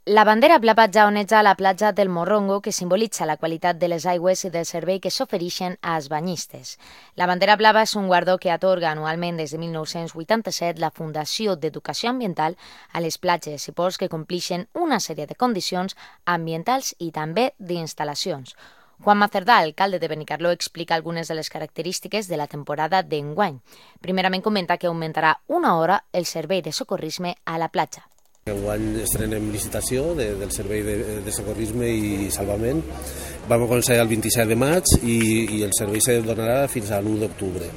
La bandera blava ja oneja la platja del Morrongo, que simbolitza la qualitat de les aigües i del servei que s'ofereixen als banyistes. La bandera blava és un guardó que atorga anualment des de 1987 la Fundació d'Educació Ambiental a les platges i ports que complixen una sèrie de condicions ambientals i també d'instal·lacions. Juan Macerdà, alcalde de Benicarló, explica algunes de les característiques de la temporada d'enguany. Primerament comenta que augmentarà una hora el servei de socorrisme a la platja. Enguany estrenem licitació del servei de socorrisme i salvament. Vam començar el 27 de maig i el servei se donarà fins a l'1 d'octubre.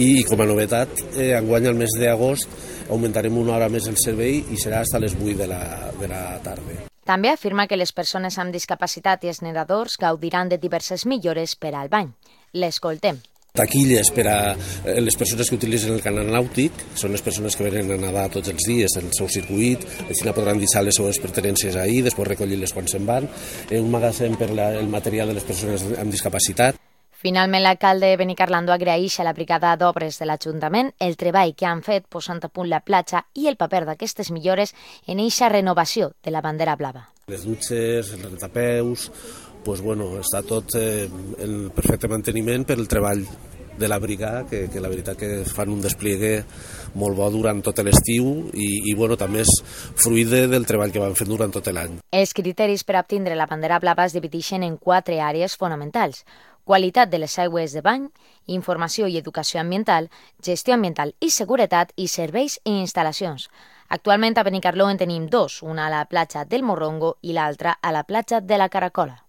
I com a novetat, enguany al mes d'agost augmentarem una hora més el servei i serà fins a les 8 de la tarda. També afirma que les persones amb discapacitat i els nedadors gaudiran de diverses millores per al bany. L'escoltem. Taquilles per a les persones que utilitzen el canal nàutic, són les persones que venen a nedar tots els dies el seu circuit, així podran deixar les seves pertinences ahir, després recollir-les quan se'n van, un magatzem per el material de les persones amb discapacitat. Finalment, l'alcalde de Benicarló agraeix a la brigada d'obres de l'Ajuntament el treball que han fet posant a punt la platja i el paper d'aquestes millores en eixa renovació de la bandera blava. Les dutxes, els rentapeus, està tot en perfecte manteniment per el treball de la brigada, que la veritat que fan un despliegue molt bo durant tot l'estiu i també és fruit del treball que van fer durant tot l'any. Els criteris per obtindre la bandera blava es divideixen en 4 àrees fonamentals: qualitat de les aigües de bany, informació i educació ambiental, gestió ambiental i seguretat i serveis i instal·lacions. Actualment a Benicarló en tenim 2, una a la platja del Morrongo i l'altra a la platja de la Caracola.